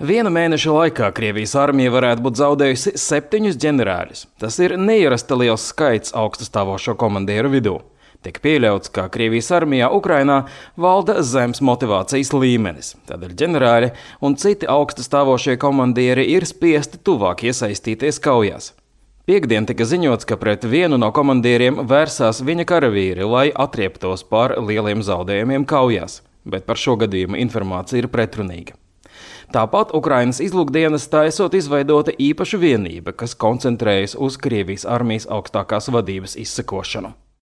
Viena mēneša laikā Krievijas armija varētu būt zaudējusi 7 ģenerāļus. Tas ir neierasta liels skaits augststāvošo komandieru vidū. Tiek pieļauts, ka Krievijas armijā Ukrainā valda zems motivācijas līmenis. Tādēļ ģenerāļi un citi augststāvošie komandieri ir spiesti tuvāk iesaistīties kaujās. Piektdien tika ziņots, ka pret vienu no komandieriem vērsās viņa karavīri, lai atrieptos par lieliem zaudējumiem kaujās, bet par šo gadījumu informācija ir pretrunīga. Tāpat Ukrainas izlūkdienestā esot izveidota īpaša vienība, kas koncentrējas uz Krievijas armijas augstākās vadības izsekošanu.